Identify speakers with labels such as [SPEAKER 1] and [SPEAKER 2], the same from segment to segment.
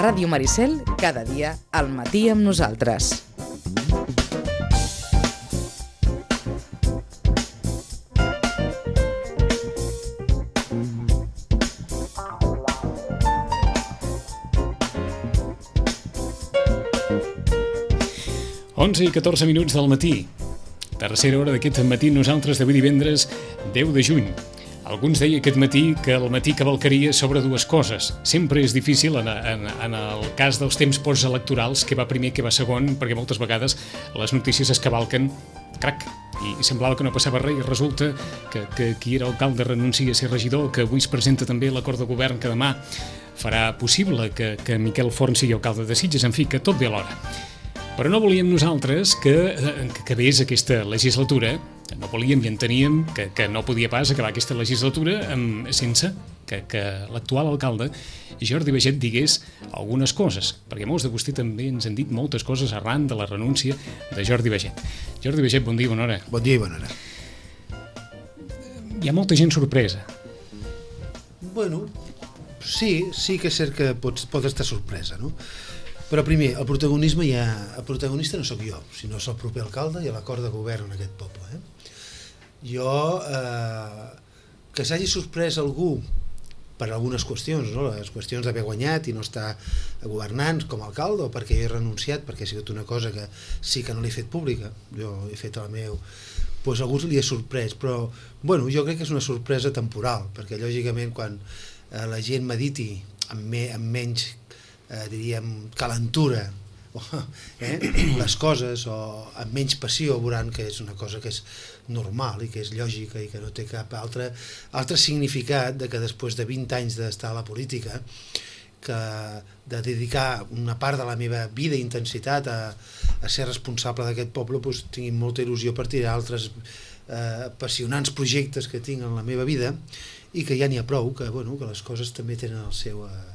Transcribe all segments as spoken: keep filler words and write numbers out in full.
[SPEAKER 1] Ràdio Maricel, cada dia al matí amb nosaltres.
[SPEAKER 2] onze i catorze minuts del matí. Tercera hora d'aquest matí nosaltres d'avui divendres deu de juny. Alguns deia aquest matí que el matí cavalcaria sobre dues coses. Sempre és difícil en, en, en el cas dels temps postelectorals, què va primer, què va segon, perquè moltes vegades les notícies es cavalquen, crac, i semblava que no passava res i resulta que, que qui era alcalde renuncia a ser regidor, que avui es presenta també l'acord de govern que demà farà possible que, que Miquel Forn sigui alcalde de Sitges, en fi, que tot ve alhora. Però no volíem nosaltres que, que acabés aquesta legislatura, no volíem i enteníem que, que no podia pas acabar aquesta legislatura amb, sense que, que l'actual alcalde, Jordi Baiget, digués algunes coses, perquè molts de vostè també ens han dit moltes coses arran de la renúncia de Jordi Baiget. Jordi Baiget, bon dia i bona hora.
[SPEAKER 3] Bon dia i bona hora.
[SPEAKER 2] Hi ha molta gent sorpresa.
[SPEAKER 3] Bueno, sí, sí que és cert que pot, pot estar sorpresa, no? Però primer, el protagonisme ja... El protagonista no sóc jo, sinó és el proper alcalde i l'acord de govern en aquest poble. Eh? Jo... Eh, que s'hagi sorprès algú per algunes qüestions, no? Les qüestions d'haver guanyat i no estar governant com a alcalde, o perquè he renunciat, perquè ha sigut una cosa que sí que no l'he fet pública, jo he fet el meu... Doncs a algú li ha sorprès, però bueno, jo crec que és una sorpresa temporal, perquè lògicament quan eh, la gent mediti amb, me, amb menys Eh, diríem, calentura eh, les coses o amb menys passió veuran que és una cosa que és normal i que és lògica i que no té cap altre, altre significat de que després de vint anys d'estar a la política, que de dedicar una part de la meva vida i intensitat a, a ser responsable d'aquest poble, doncs tinc molta il·lusió per tirar altres eh, apassionants projectes que tinc en la meva vida i que ja n'hi ha prou, que, bueno, que les coses també tenen el seu... Eh,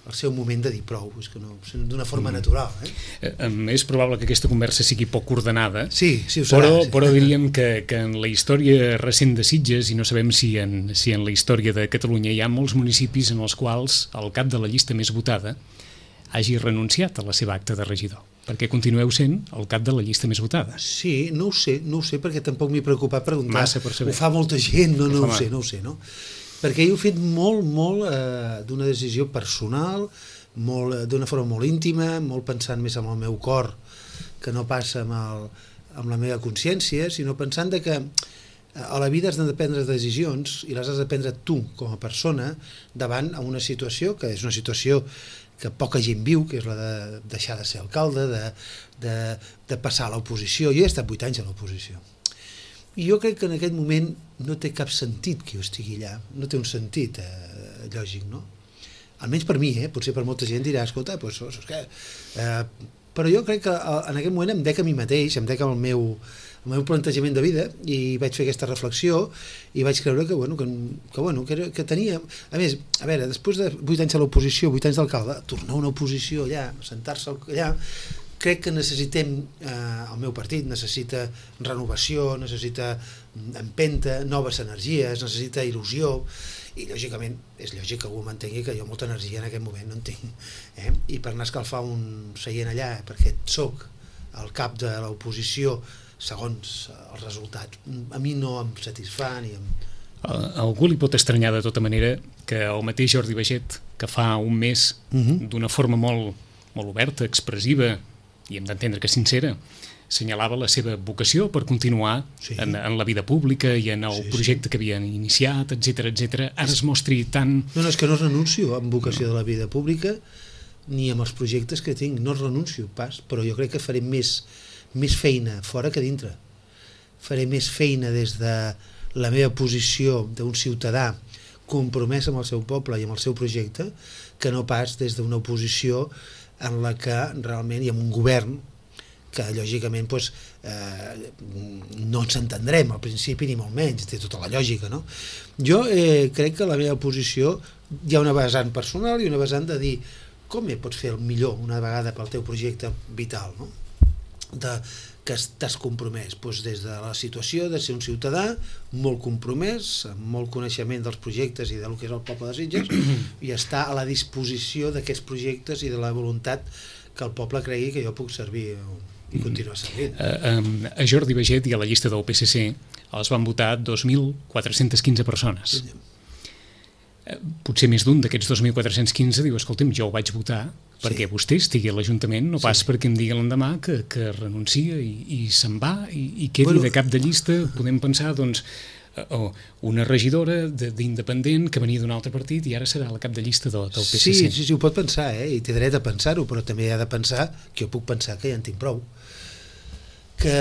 [SPEAKER 3] el seu moment de dir prou, és que no, d'una forma natural. Eh?
[SPEAKER 2] Eh, és probable que aquesta conversa sigui poc ordenada,
[SPEAKER 3] sí, sí ho serà,
[SPEAKER 2] però,
[SPEAKER 3] sí.
[SPEAKER 2] però diríem que, que en la història recent de Sitges, i no sabem si en, si en la història de Catalunya hi ha molts municipis en els quals el cap de la llista més votada hagi renunciat a la seva acta de regidor, perquè continueu sent el cap de la llista més votada.
[SPEAKER 3] Sí, no ho sé, no ho sé, perquè tampoc m'he preocupat preguntar.
[SPEAKER 2] Massa per saber.
[SPEAKER 3] Ho fa molta gent, no, no ho sé, no ho sé, no? Perquè jo he fet molt, molt eh, d'una decisió personal, molt, eh, d'una forma molt íntima, molt pensant més amb el meu cor que no passa amb, el, amb la meva consciència, sinó pensant de que a la vida has de prendre decisions i les has de prendre tu com a persona davant a una situació que és una situació que poca gent viu, que és la de deixar de ser alcalde, de, de, de passar a l'oposició. Jo he estat vuit anys a l'oposició. I jo crec que en aquest moment no té cap sentit que jo estigui allà, no té un sentit eh, lògic, no? Almenys per mi, eh? Potser per molta gent dirà, escolta, doncs, doncs, què? Eh, però jo crec que en aquest moment em dec a mi mateix, em dec al meu, al meu plantejament de vida i vaig fer aquesta reflexió i vaig creure que, bueno, que, que, bueno, que, era, que tenia... A més, a veure, després de vuit anys a l'oposició, vuit anys d'alcalde, tornar a una oposició allà, sentar-se allà... Crec que necessitem, eh, el meu partit necessita renovació, necessita empenta, noves energies, necessita il·lusió, i lògicament és lògic que algú m'entengui que jo molta energia en aquest moment no en tinc. Eh? I per anar a escalfar un seient allà, perquè soc el cap de l'oposició segons els resultats, a mi no em satisfà ni em...
[SPEAKER 2] Algú li pot estranyar de tota manera que el mateix Jordi Baiget, que fa un mes, uh-huh. d'una forma molt, molt oberta, expressiva, i hem d'entendre que sincera, assenyalava la seva vocació per continuar sí. en, en la vida pública i en el sí, projecte sí. que havien iniciat, etcètera, etcètera. Ara es mostri tan...
[SPEAKER 3] No, no, és que no renuncio amb vocació no. de la vida pública ni amb els projectes que tinc, no renuncio pas, però jo crec que faré més, més feina fora que dintre. Faré més feina des de la meva posició d'un ciutadà compromès amb el seu poble i amb el seu projecte que no pas des d'una oposició en la que realment hi ha un govern que lògicament doncs, eh, no ens entendrem al principi ni molt menys, té tota la lògica, no? Jo eh, crec que la meva posició hi ha una vessant personal i una vessant de dir com pots fer el millor una vegada pel teu projecte vital, no? de, que t'has compromès doncs des de la situació de ser un ciutadà molt compromès, amb molt coneixement dels projectes i del que és el poble de Sitges i estar a la disposició d'aquests projectes i de la voluntat que el poble cregui que jo puc servir i continuar servint.
[SPEAKER 2] Uh, a Jordi Baiget i a la llista del P S C els van votar dos mil quatre-cents quinze persones. Sí. Potser més d'un d'aquests dos mil quatre-cents quinze diu, escolta'm, jo ho vaig votar perquè sí. vostè estigui a l'Ajuntament, no pas sí. perquè em digui l'endemà que, que renuncia i, i se'n va i, i quedi bueno, de cap de llista. Podem pensar, doncs, oh, una regidora d'independent que venia d'un altre partit i ara serà la cap de llista del, del P S C.
[SPEAKER 3] Sí, sí, sí, ho pot pensar, eh? I té dret a pensar-ho, però també ha de pensar que jo puc pensar que ja en tinc prou. Que,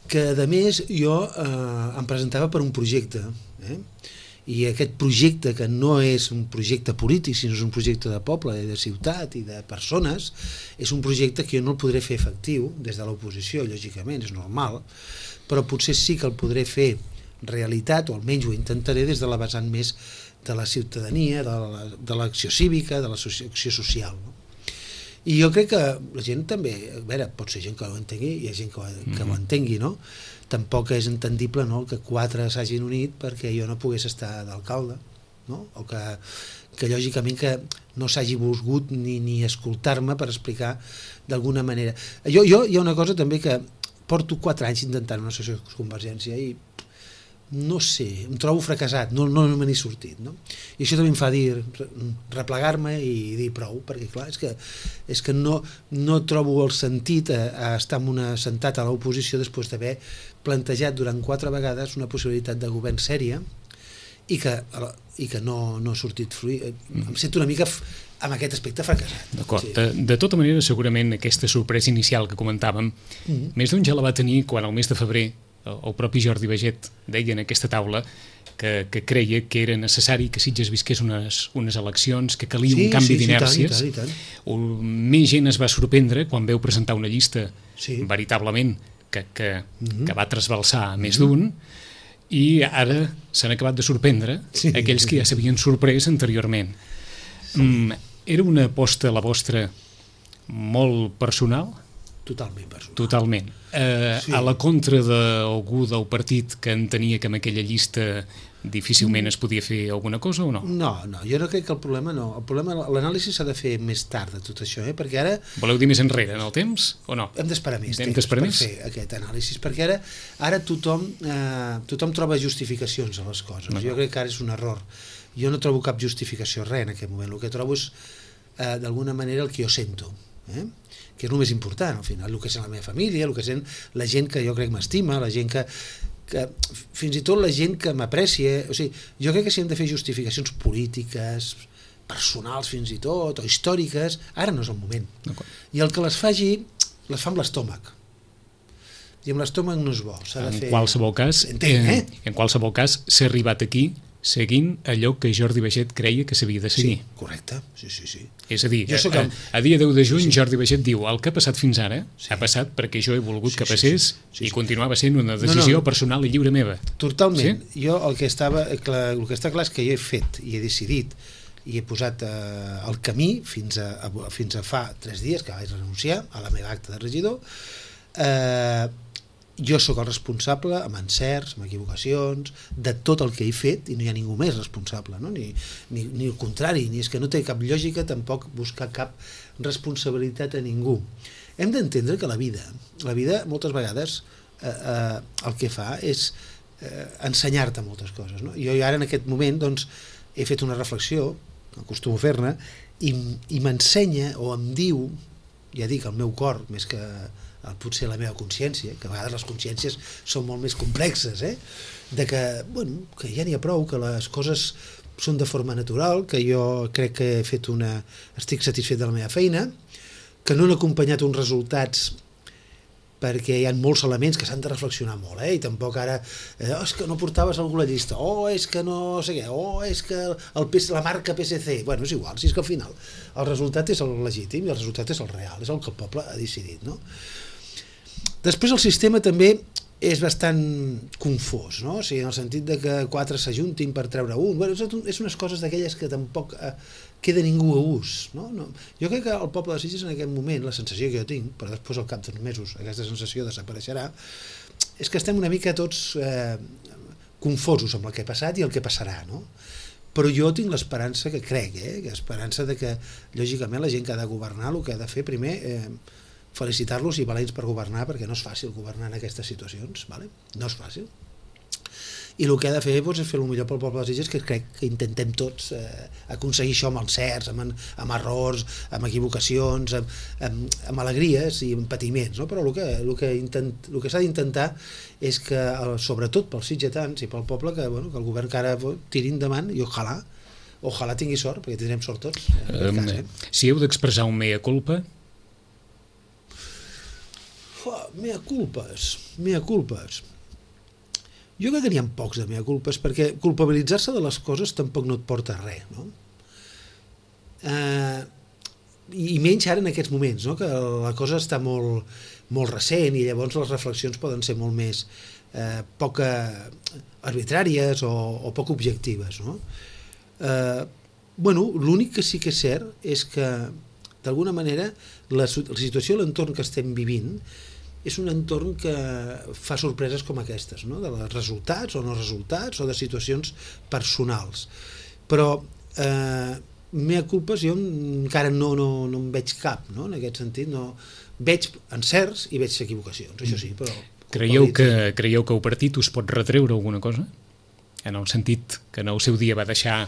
[SPEAKER 3] que a més, jo eh, em presentava per un projecte, eh? I aquest projecte, que no és un projecte polític, sinó és un projecte de poble, de ciutat i de persones, és un projecte que jo no el podré fer efectiu des de l'oposició, lògicament, és normal, però potser sí que el podré fer realitat, o almenys ho intentaré des de la vessant més de la ciutadania, de l'acció cívica, de l'acció social, no? I jo crec que la gent també, a veure, pot ser gent que ho entengui, hi ha gent que, que mm-hmm. ho entengui, no? Tampoc és entendible, no?, que quatre s'hagin unit perquè jo no pogués estar d'alcalde, no? O que, que lògicament que no s'hagi volgut ni, ni escoltar-me per explicar d'alguna manera. Jo, jo hi ha una cosa també que porto quatre anys intentant una associació de Convergència i no sé, em trobo fracassat, no, no me n'he sortit, no? I això també em fa dir, replegar-me i dir prou, perquè clar, és que, és que no, no trobo el sentit a, a estar en una, sentat a l'oposició després d'haver plantejat durant quatre vegades una possibilitat de govern sèria i que, i que no, no ha sortit fluir. Em sento una mica amb aquest aspecte fracassat.
[SPEAKER 2] D'acord. Sí. De, de tota manera, segurament aquesta sorpresa inicial que comentàvem, mm-hmm. més d'un ja la va tenir quan al mes de febrer el propi Jordi Baiget deia en aquesta taula que, que creia que era necessari que Sitges visqués unes, unes eleccions, que calia sí, un canvi sí, d'inèrcies.
[SPEAKER 3] Sí, i tant, i tant.
[SPEAKER 2] Més gent es va sorprendre quan veu presentar una llista
[SPEAKER 3] sí. veritablement
[SPEAKER 2] que, que, mm-hmm. que va trasbalsar a més d'un, i ara s'han acabat de sorprendre sí. aquells que ja s'havien sorprès anteriorment. Sí. Mm, era una aposta, la vostra, molt personal?
[SPEAKER 3] Totalment personal.
[SPEAKER 2] Totalment. Eh, sí. A la contra d'algú del partit que entenia que amb aquella llista difícilment es podia fer alguna cosa o no?
[SPEAKER 3] No, no, jo no crec que el problema no. El problema, l'anàlisi s'ha de fer més tard de tot això, eh? Perquè ara...
[SPEAKER 2] Voleu dir més enrere en el temps o no?
[SPEAKER 3] Hem d'esperar més
[SPEAKER 2] Hem
[SPEAKER 3] temps per
[SPEAKER 2] més?
[SPEAKER 3] fer aquest anàlisi, perquè ara, ara tothom, eh, tothom troba justificacions a les coses. No. Jo crec que ara és un error. Jo no trobo cap justificació, res en aquest moment. El que trobo és, eh, d'alguna manera, el que jo sento, eh? que és el més important, al final, el que és la meva família, el que és la gent que jo crec m'estima, la gent que, que, fins i tot la gent que m'aprecia, o sigui, jo crec que si hem de fer justificacions polítiques, personals fins i tot, o històriques, ara no és el moment. I el que les faci, les fa amb l'estómac. I amb l'estómac no és bo. S'ha de
[SPEAKER 2] en
[SPEAKER 3] fer...
[SPEAKER 2] qualsevol cas,
[SPEAKER 3] Entenc, eh?
[SPEAKER 2] en qualsevol cas, s'ha arribat aquí seguint allò que Jordi Baiget creia que s'havia de seguir.
[SPEAKER 3] Sí, correcte, sí, sí, sí.
[SPEAKER 2] És a dir, a, a, a dia deu de juny sí, sí. Jordi Baiget diu, el que ha passat fins ara sí. ha passat perquè jo he volgut sí, que passés sí, sí, sí, sí. i continuava sent una decisió no, no. personal i lliure meva.
[SPEAKER 3] Totalment.
[SPEAKER 2] Sí?
[SPEAKER 3] Jo el que, estava, el que està clar és que jo he fet i he decidit i he posat eh, el camí fins a, a, fins a fa tres dies que vaig renunciar a la meva acta de regidor. Eh, jo sóc el responsable, amb encerts, amb equivocacions, de tot el que he fet, i no hi ha ningú més responsable, no? ni, ni, ni el contrari, ni és que no té cap lògica tampoc buscar cap responsabilitat a ningú. Hem d'entendre que la vida, la vida moltes vegades eh, eh, el que fa és eh, ensenyar-te moltes coses. No? Jo ara en aquest moment doncs, he fet una reflexió, acostumo a fer-ne, i, i m'ensenya o em diu, ja dic, el meu cor, més que potser la meva consciència, que a vegades les consciències són molt més complexes, eh? de que, bueno, que ja n'hi ha prou, que les coses són de forma natural, que jo crec que he fet una... estic satisfet de la meva feina, que no han acompanyat uns resultats perquè hi ha molts elements que s'han de reflexionar molt, eh? I tampoc ara, eh, oh, és que no portaves algú a la llista, oh, és que no sé què, oh, és que el P S, la marca P S C, bueno, és igual, si és que al final el resultat és el legítim i el resultat és el real, és el que el poble ha decidit, no? Després el sistema també és bastant confós, no? O sigui, en el sentit de que quatre s'ajuntin per treure un. Bueno, és unes coses d'aquelles que tampoc eh, queda ningú a ús, no? No? Jo crec que el poble de Sitges en aquest moment, la sensació que jo tinc, però després al cap d'uns mesos aquesta sensació desapareixerà, és que estem una mica tots eh, confosos amb el que ha passat i el que passarà, no? Però jo tinc l'esperança, que crec, eh, que esperança de que, lògicament, la gent que ha de governar el que ha de fer primer, eh, felicitar-los i valents per governar, perquè no és fàcil governar en aquestes situacions, vale? No és fàcil. I el que ha de fer doncs, és fer el millor pel poble de Sitges, que crec que intentem tots eh, aconseguir això amb encerts, amb, amb errors, amb equivocacions, amb, amb, amb alegries i amb patiments, no? Però el que, el que, intent, el que s'ha d'intentar és que, sobretot pels sitgetans i pel poble, que, bueno, que el govern que ara tiri endavant, i ojalà, ojalà tingui sort, perquè tindrem sort tots. Um, cas, eh?
[SPEAKER 2] Si heu d'expressar un mea culpa?
[SPEAKER 3] Oh, mea culpes, mea culpes. Jo crec que n'hi ha pocs de mea culpes, perquè culpabilitzar-se de les coses tampoc no et porta a res, no? Eh, I menys ara en aquests moments, no? Que la cosa està molt, molt recent i llavors les reflexions poden ser molt més eh, poc arbitràries o, o poc objectives, no? Eh, bueno, l'únic que sí que és cert és que, d'alguna manera, la, la situació i l'entorn que estem vivint és un entorn que fa sorpreses com aquestes, no? De resultats o no resultats o de situacions personals. Però eh, mea culpes jo encara no, no, no en veig cap, no? En aquest sentit, no. Veig encerts i veig equivocacions, això sí, però...
[SPEAKER 2] Creieu que, creieu que el partit us pot retreure alguna cosa? En el sentit que en el seu dia va deixar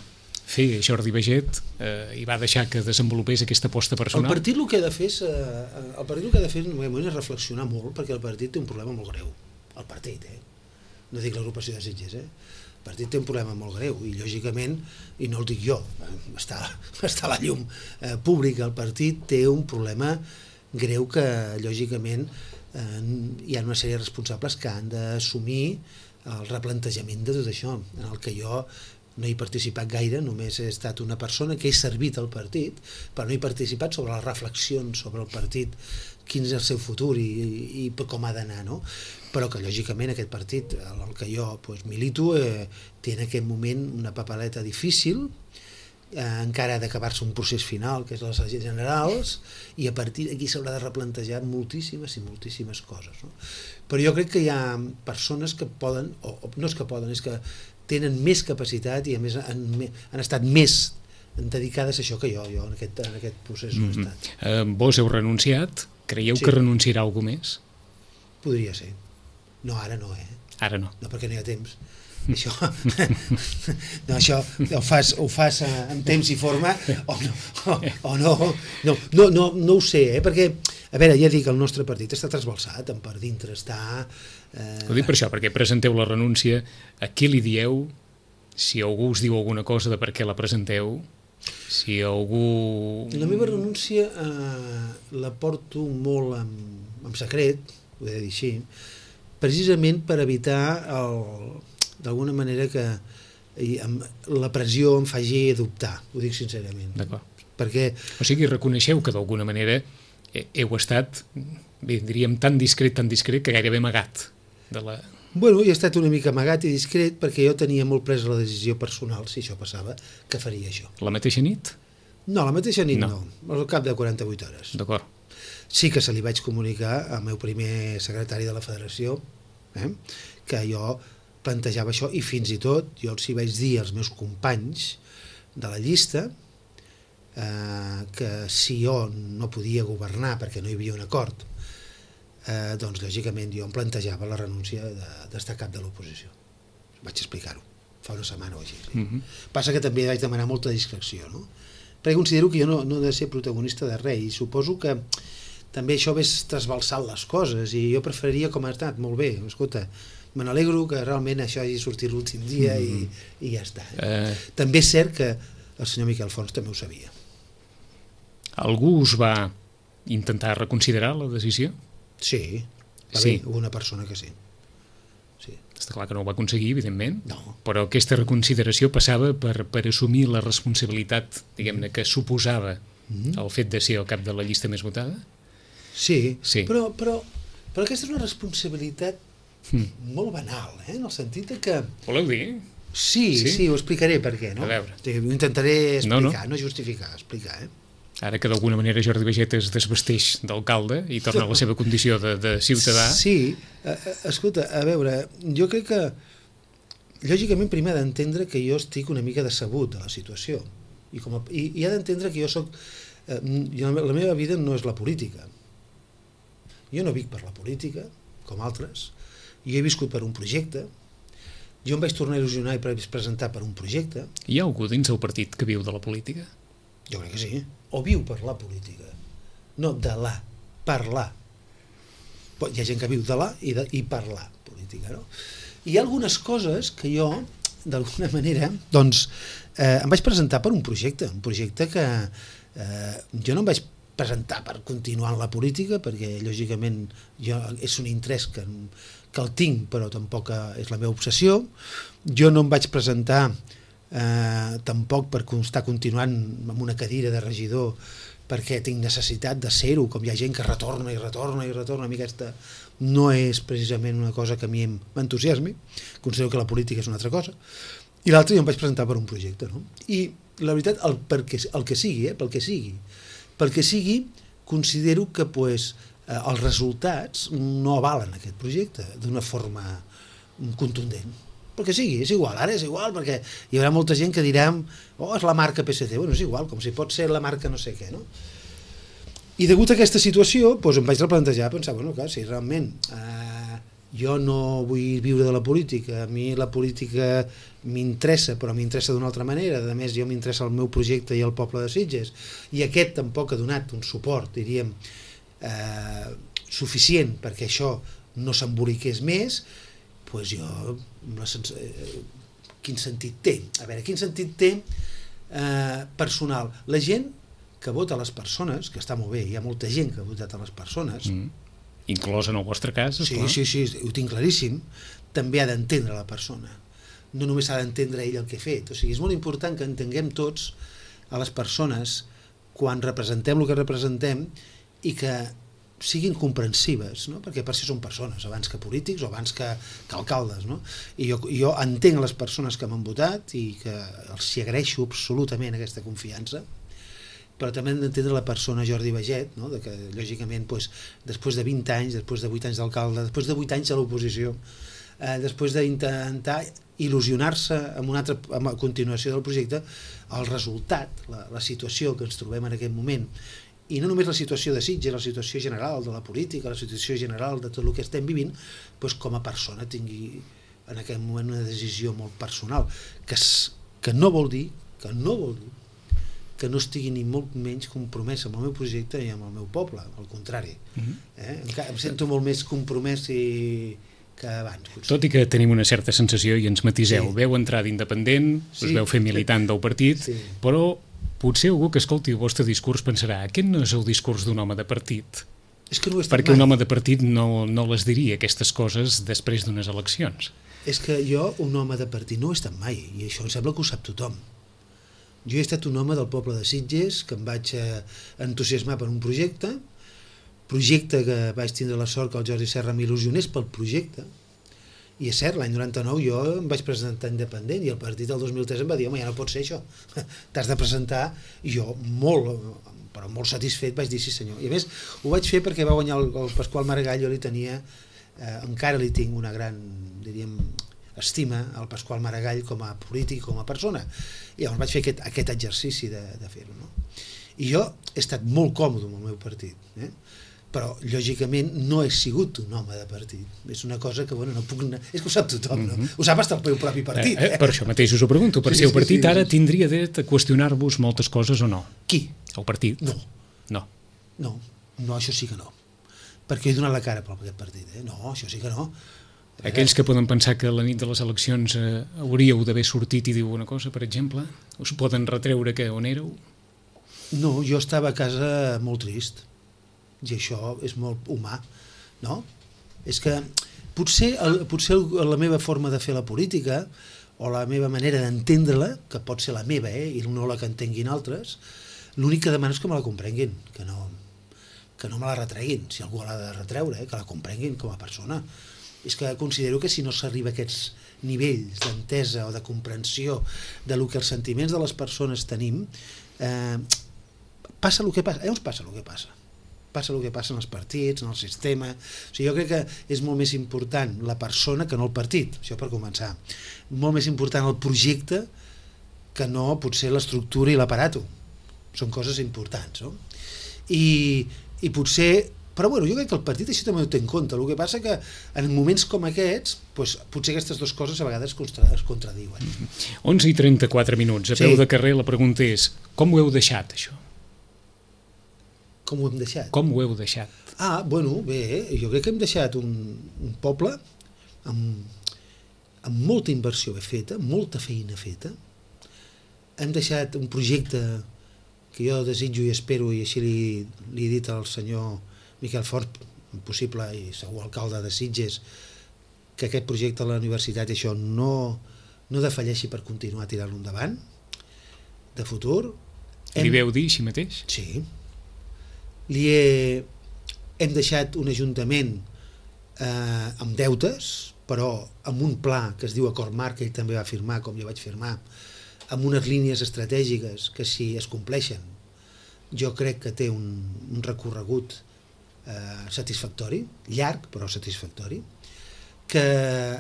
[SPEAKER 2] fer Jordi Baiget eh, i va deixar que desenvolupés aquesta aposta personal?
[SPEAKER 3] El partit el que ha de fer és, eh, el partit el que ha de fer en un moment és reflexionar molt, perquè el partit té un problema molt greu. El partit, eh? No dic l'agrupació de Sitges, eh? El partit té un problema molt greu i, lògicament, i no el dic jo, està, està a la llum eh, pública, el partit té un problema greu que, lògicament, eh, hi ha una sèrie de responsables que han d'assumir el replantejament de tot això, en el que jo no he participat gaire, només he estat una persona que he servit al partit, però no he participat sobre les reflexions sobre el partit, quin és el seu futur i, i, i com ha d'anar, no? Però que lògicament aquest partit, el que jo pues, milito, eh, té en aquest moment una papeleta difícil, eh, encara ha d'acabar-se un procés final, que és les eleccions generals, i a partir d'aquí s'haurà de replantejar moltíssimes i moltíssimes coses, no? Però jo crec que hi ha persones que poden, o, o no és que poden, és que tenen més capacitat i a més han, han estat més dedicades a això que jo, jo en aquest, en aquest procés no he estat.
[SPEAKER 2] Mm-hmm. Uh, vos heu renunciat? Creieu sí. que renunciarà algú més?
[SPEAKER 3] Podria ser. No, ara no, eh?
[SPEAKER 2] Ara no.
[SPEAKER 3] No, perquè no hi ha temps. Això, no, això ho fas, ho fas en temps i forma o no, o, o no, no, no, no, no ho sé, eh? Perquè, a veure, ja dic, el nostre partit està trasbalsat, per dintre està...
[SPEAKER 2] Eh... Ho dic per això, perquè presenteu la renúncia, a qui li dieu, si algú us diu alguna cosa de per què la presenteu, si algú...
[SPEAKER 3] La meva renúncia eh, la porto molt en, en secret, ho he de dir així, precisament per evitar el... d'alguna manera que la pressió em faci dubtar, ho dic sincerament.
[SPEAKER 2] D'acord.
[SPEAKER 3] Perquè...
[SPEAKER 2] O sigui, reconeixeu que d'alguna manera heu estat, bé, diríem, tan discret, tan discret, que gairebé amagat de la...
[SPEAKER 3] Bueno, he estat una mica amagat i discret perquè jo tenia molt presa la decisió personal, si això passava, que faria això.
[SPEAKER 2] La mateixa nit?
[SPEAKER 3] No, la mateixa nit no, no al cap de quaranta-vuit hores.
[SPEAKER 2] D'acord.
[SPEAKER 3] Sí que se li vaig comunicar al meu primer secretari de la federació, eh, que jo plantejava això, i fins i tot jo els hi vaig dir als meus companys de la llista eh, que si jo no podia governar perquè no hi havia un acord, eh, doncs lògicament jo em plantejava la renúncia d'estar cap de l'oposició. Vaig explicar-ho fa una setmana o així. Sí. Mm-hmm. Passa que també vaig demanar molta discreció, no? Perquè considero que jo no, no he de ser protagonista de res, i suposo que també això ves trasbalsant les coses, i jo preferiria, com ha estat, molt bé, escolta, me n'alegro que realment això hagi sortit l'últim dia mm-hmm. i, i ja està. Eh... També és cert que el senyor Miquel Fons també ho sabia.
[SPEAKER 2] Algú us va intentar reconsiderar la decisió?
[SPEAKER 3] Sí, va sí. haver una persona que sí. sí.
[SPEAKER 2] Està clar que no ho va aconseguir, evidentment,
[SPEAKER 3] no.
[SPEAKER 2] Però aquesta reconsideració passava per, per assumir la responsabilitat, diguem-ne, que suposava mm-hmm. el fet de ser el cap de la llista més votada?
[SPEAKER 3] Sí,
[SPEAKER 2] sí.
[SPEAKER 3] Però, però, però aquesta és una responsabilitat mm. molt banal, eh? En el sentit de que...
[SPEAKER 2] Voleu dir?
[SPEAKER 3] Sí, sí, sí, ho explicaré per què, no?
[SPEAKER 2] A veure.
[SPEAKER 3] Ho intentaré explicar, no, no. no justificar, explicar, eh?
[SPEAKER 2] Ara que d'alguna manera Jordi Baiget es desvesteix d'alcalde i torna a la seva condició de, de ciutadà...
[SPEAKER 3] Sí, escolta, a veure, jo crec que lògicament primer ha d'entendre que jo estic una mica decebut de la situació i, com a, i, i ha d'entendre que jo soc eh, jo, la meva vida no és la política, jo no vic per la política com altres, jo he viscut per un projecte, jo em vaig tornar a il·lusionar i presentar per un projecte.
[SPEAKER 2] Hi ha algú dins el partit que viu de la política?
[SPEAKER 3] Jo crec que sí, o viu per la política, no de la, per la. Hi ha gent que viu de la i, de, i per la política, no? Hi ha algunes coses que jo, d'alguna manera, doncs, eh, em vaig presentar per un projecte, un projecte que eh, jo no em vaig presentar per continuar en la política, perquè, lògicament, jo, és un interès que, que el tinc, però tampoc és la meva obsessió. Jo no em vaig presentar eh, tampoc per estar continuant amb una cadira de regidor perquè tinc necessitat de ser-ho, com hi ha gent que retorna i retorna i retorna. A mi aquesta no és precisament una cosa que a mi m'entusiasmi, considero que la política és una altra cosa, i l'altre jo em vaig presentar per un projecte, no? I la veritat, el, perquè, el que sigui, eh, pel que sigui, pel que sigui, considero que pues, eh, els resultats no avalen aquest projecte d'una forma contundent. Pel que sigui, és igual, ara és igual, perquè hi haurà molta gent que dirà oh, és la marca P S C, bueno, és igual, com si pot ser la marca no sé què, no? I degut a aquesta situació, doncs em vaig replantejar, pensar, bueno, clar, si realment eh, jo no vull viure de la política, a mi la política m'interessa, però m'interessa d'una altra manera, a més jo m'interessa el meu projecte i el poble de Sitges, i aquest tampoc ha donat un suport, diríem, eh, suficient perquè això no s'emboliqués més, doncs jo, la sens... quin sentit té? A veure, quin sentit té eh, personal? La gent que vota a les persones, que està molt bé, hi ha molta gent que ha votat a les persones... Mm.
[SPEAKER 2] Inclòs en el vostre cas, esclar.
[SPEAKER 3] Sí, sí, sí, ho tinc claríssim, també ha d'entendre la persona. No només ha d'entendre ell el que ha fet. O sigui, és molt important que entenguem tots a les persones quan representem el que representem i que siguin comprensives, no? Perquè per si són persones, abans que polítics o abans que, que alcaldes, no? I jo, jo entenc les persones que m'han votat i que els hi agraeixo absolutament aquesta confiança, però també hem d'entendre la persona Jordi Baiget, no? De que, lògicament, doncs, després de vint anys, després de vuit anys d'alcalde, després de vuit anys a l'oposició, eh, després d'intentar il·lusionar-se amb una altra amb la continuació del projecte, el resultat, la, la situació que ens trobem en aquest moment, i no només la situació de Sitges, la situació general de la política, la situació general de tot el que estem vivint, doncs com a persona tingui en aquest moment una decisió molt personal, que, es, que no vol dir, que no vol dir, que no estigui ni molt menys compromès amb el meu projecte i amb el meu poble, al contrari. Mm-hmm. eh? Em sento molt més compromès i... que abans. Potser.
[SPEAKER 2] Tot i que tenim una certa sensació, i ens matiseu, sí. Veu entrar d'independent, sí. Us veu fer militant del partit, sí. Però potser algú que escolti el vostre discurs pensarà aquest no és el discurs d'un home de partit.
[SPEAKER 3] És que no ho he estat
[SPEAKER 2] perquè
[SPEAKER 3] mai.
[SPEAKER 2] Un home de partit no, no les diria aquestes coses després d'unes eleccions.
[SPEAKER 3] És que jo, un home de partit, no ho he estat mai, i això em sembla que ho sap tothom. Jo he estat un home del poble de Sitges, que em vaig entusiasmar per un projecte, projecte que vaig tindre la sort que el Jordi Serra m'il·lusionés pel projecte, i és cert, l'any noranta-nou jo em vaig presentar independent i el partit del dos mil tres em va dir home, ja no pot ser això, t'has de presentar, i jo molt, però molt satisfet vaig dir sí senyor, i a més ho vaig fer perquè va guanyar el, el Pasqual Maragall, jo li tenia, eh, encara li tinc una gran, diríem, estima al Pasqual Maragall com a polític, com a persona, i llavors vaig fer aquest, aquest exercici de, de fer-ho, no? I jo he estat molt còmode amb el meu partit, eh? Però lògicament no he sigut un home de partit, és una cosa que bueno, no puc anar... és que ho sap tothom, no? Mm-hmm. Ho sap fins al meu propi partit,
[SPEAKER 2] eh, eh? Per això mateix us ho pregunto, per sí, si el partit sí, sí, ara
[SPEAKER 3] sí.
[SPEAKER 2] Tindria dret a qüestionar-vos moltes coses o no?
[SPEAKER 3] Qui?
[SPEAKER 2] El partit?
[SPEAKER 3] No.
[SPEAKER 2] No.
[SPEAKER 3] No, no, això sí que no, perquè he donat la cara per aquest partit, eh? No, això sí que no.
[SPEAKER 2] Aquells que poden pensar que la nit de les eleccions eh, hauríeu d'haver sortit i dir una cosa, per exemple, us poden retreure que on éreu?
[SPEAKER 3] No, jo estava a casa molt trist, i això és molt humà, no? És que potser, el, potser la meva forma de fer la política o la meva manera d'entendre-la, que pot ser la meva, eh, i no la que entenguin altres, l'únic que demano és que me la comprenguin, que no, que no me la retreguin, si algú l'ha de retreure, eh, que la comprenguin com a persona. és que considero que si no s'arriba a aquests nivells d'entesa o de comprensió de lo que els sentiments de les persones tenim, eh, passa el que passa, llavors passa el que passa passa el que passa en els partits, en el sistema. O sigui, jo crec que és molt més important la persona que no el partit, això per començar. Molt més important el projecte que no potser l'estructura i l'aparato. Són coses importants, no? I, i potser però bueno, jo crec que el partit això també ho té en compte. El que passa que en moments com aquests doncs, potser aquestes dues coses a vegades contra, es contradiuen.
[SPEAKER 2] Mm-hmm. onze i trenta-quatre minuts, a peu sí. de carrer la pregunta és com ho heu deixat això?
[SPEAKER 3] Com ho hem deixat?
[SPEAKER 2] Com ho heu deixat?
[SPEAKER 3] Ah, bueno, bé, jo crec que hem deixat un, un poble amb, amb molta inversió feta, molta feina feta. Hem deixat un projecte que jo desitjo i espero, i així li, li he dit al senyor Miquel Fort, possible i segur alcalde de Sitges, que aquest projecte a la universitat això no, no defalleixi per continuar tirant-lo endavant, de futur.
[SPEAKER 2] Hem... Li veu dir així mateix?
[SPEAKER 3] Sí. Li he... Hem deixat un ajuntament eh, amb deutes, però amb un pla que es diu Acord Marc, que ell també va firmar, com jo vaig firmar, amb unes línies estratègiques que si es compleixen jo crec que té un, un recorregut eh, satisfactori, llarg però satisfactori, que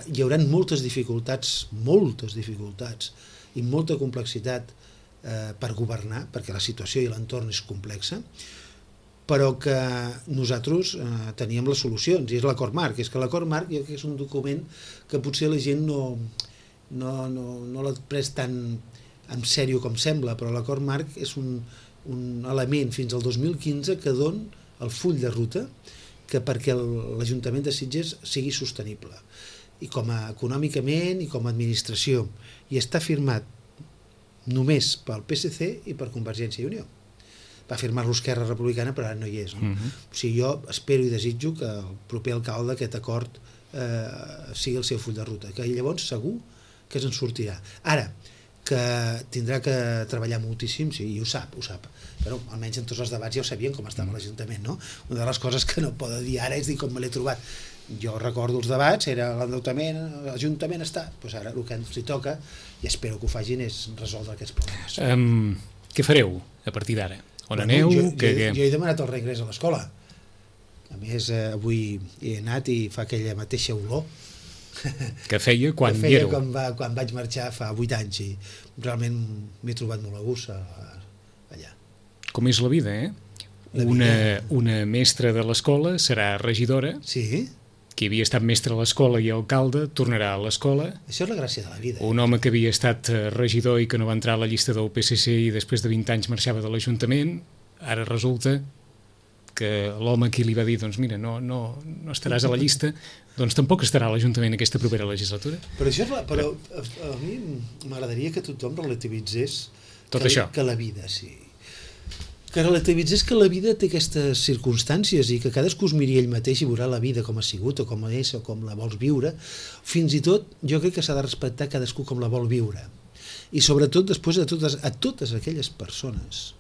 [SPEAKER 3] hi haurà moltes dificultats, moltes dificultats i molta complexitat eh, per governar, perquè la situació i l'entorn és complexa, però que nosaltres eh, teníem les solucions, i és l'Acord Marc. És que l'Acord Marc jo crec que és un document que potser la gent no, no, no, no l'ha pres tan en sèrio com sembla, però l'Acord Marc és un, un element fins al dos mil quinze que don el full de ruta que perquè l'Ajuntament de Sitges sigui sostenible, i com a econòmicament i com a administració, i està firmat només pel P S C i per Convergència i Unió. Va firmar-lo Esquerra Republicana, però ara no hi és. No? Uh-huh. O sigui, jo espero i desitjo que el proper alcalde aquest acord eh, sigui el seu full de ruta, que llavors segur que se'n sortirà. Ara, que tindrà que treballar moltíssim, sí, i ho sap, ho sap. Però almenys en tots els debats ja ho sabien com estava l'Ajuntament, no? Una de les coses que no poden dir ara és dir com me l'he trobat. Jo recordo els debats, era l'endeutament, l'Ajuntament està, doncs ara el que ens hi toca, i espero que ho facin, és resoldre aquests problemes.
[SPEAKER 2] Um, què fareu a partir d'ara? On bueno, aneu?
[SPEAKER 3] Jo,
[SPEAKER 2] que,
[SPEAKER 3] jo, jo he demanat el reingrés a l'escola. A més, eh, avui he anat i fa aquella mateixa olor
[SPEAKER 2] que feia quan
[SPEAKER 3] que feia
[SPEAKER 2] hi éreu.
[SPEAKER 3] Quan, va, quan vaig marxar fa vuit anys, i realment m'he trobat molt a gust allà.
[SPEAKER 2] Com és la vida, eh?
[SPEAKER 3] La
[SPEAKER 2] una,
[SPEAKER 3] vida.
[SPEAKER 2] una mestra de l'escola serà regidora,
[SPEAKER 3] sí.
[SPEAKER 2] qui havia estat mestre a l'escola i alcalde tornarà a l'escola.
[SPEAKER 3] Això és la gràcia de la vida.
[SPEAKER 2] Un home que havia estat regidor i que no va entrar a la llista del P S C i després de vint anys marxava de l'Ajuntament, ara resulta que l'home qui li va dir, doncs mira, no, no, no estaràs a la llista, doncs tampoc estarà a l'Ajuntament aquesta propera legislatura.
[SPEAKER 3] Però, això és la, però a, a mi m'agradaria que tothom relativitzés
[SPEAKER 2] tot
[SPEAKER 3] que,
[SPEAKER 2] això.
[SPEAKER 3] Que la vida, sí. Que relativitzés que la vida té aquestes circumstàncies i que cadascú es miri ell mateix i veurà la vida com ha sigut o com és o com la vols viure. Fins i tot jo crec que s'ha de respectar cadascú com la vol viure. I sobretot després a totes, a totes aquelles persones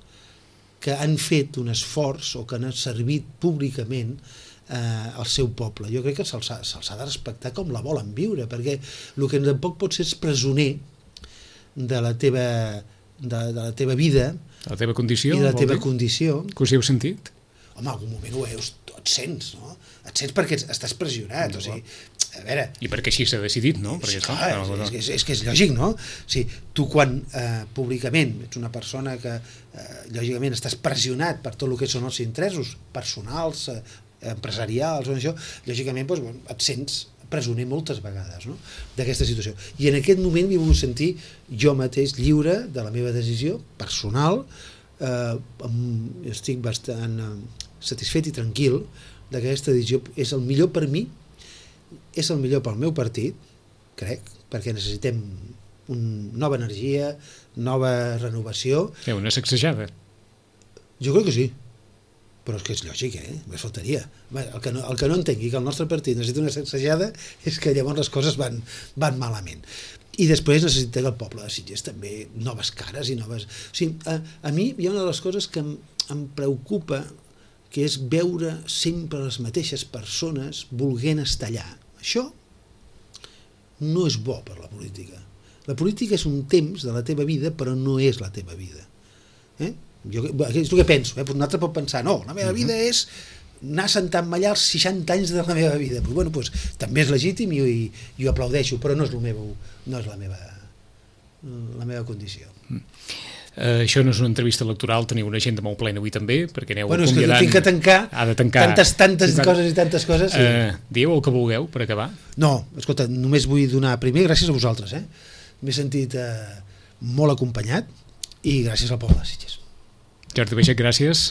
[SPEAKER 3] que han fet un esforç o que han servit públicament eh, al seu poble. Jo crec que se'ls ha, se'ls ha de respectar com la volen viure, perquè el que tampoc pot ser és presoner de la teva, de, de la teva vida,
[SPEAKER 2] la teva condició,
[SPEAKER 3] i la teva
[SPEAKER 2] dir?
[SPEAKER 3] condició.
[SPEAKER 2] Que us hi heu sentit?
[SPEAKER 3] Home, en algun moment ho veus, et sents, no? Et sents perquè estàs pressionat, o sigui, a veure...
[SPEAKER 2] I perquè així s'ha decidit, no? Perquè
[SPEAKER 3] sí,
[SPEAKER 2] clar,
[SPEAKER 3] clar,
[SPEAKER 2] no, no.
[SPEAKER 3] És, és, és que és lògic, no? O sigui, tu quan eh, públicament ets una persona que eh, lògicament estàs pressionat per tot el que són els interessos personals, eh, empresarials o això, lògicament doncs, bueno, et sents presoner moltes vegades, no? D'aquesta situació. I en aquest moment m'he volgut sentir jo mateix lliure de la meva decisió personal, eh, amb, estic bastant eh, satisfet i tranquil de que aquesta decisió és el millor per mi, és el millor pel meu partit, crec, perquè necessitem una nova energia, nova renovació.
[SPEAKER 2] Eh, una sacsejada.
[SPEAKER 3] Jo crec que sí, però és que és lògic, eh? Més faltaria. El que, no, el que no entengui que el nostre partit necessita una sacsejada és que llavors les coses van, van malament. I després necessita que el poble de Sitges també noves cares i noves... O sigui, a, a mi hi ha una de les coses que em, em preocupa, que és veure sempre les mateixes persones volent estar allà. Això no és bo per la política. La política és un temps de la teva vida, però no és la teva vida. Eh? Jo, és el que penso, eh? Un altre pot pensar, no, la meva vida és anar sentant mallar els seixanta anys de la meva vida. Pues, bueno, pues, també és legítim i, i, i ho aplaudeixo, però no és, el meu, no és la, meva, la meva condició.
[SPEAKER 2] Mm. Uh, això no és una entrevista electoral, teniu una agenda molt plena avui també, perquè aneu
[SPEAKER 3] bueno,
[SPEAKER 2] acomiadant...
[SPEAKER 3] Bueno, és que tinc que tancar,
[SPEAKER 2] ha de tancar
[SPEAKER 3] tantes, tantes tant... coses i tantes coses. Sí.
[SPEAKER 2] Uh, dieu el que vulgueu per acabar?
[SPEAKER 3] No, escolta, només vull donar primer gràcies a vosaltres. Eh? M'he sentit eh, molt acompanyat i gràcies al poble de Sitges.
[SPEAKER 2] Jordi Baixet, gràcies.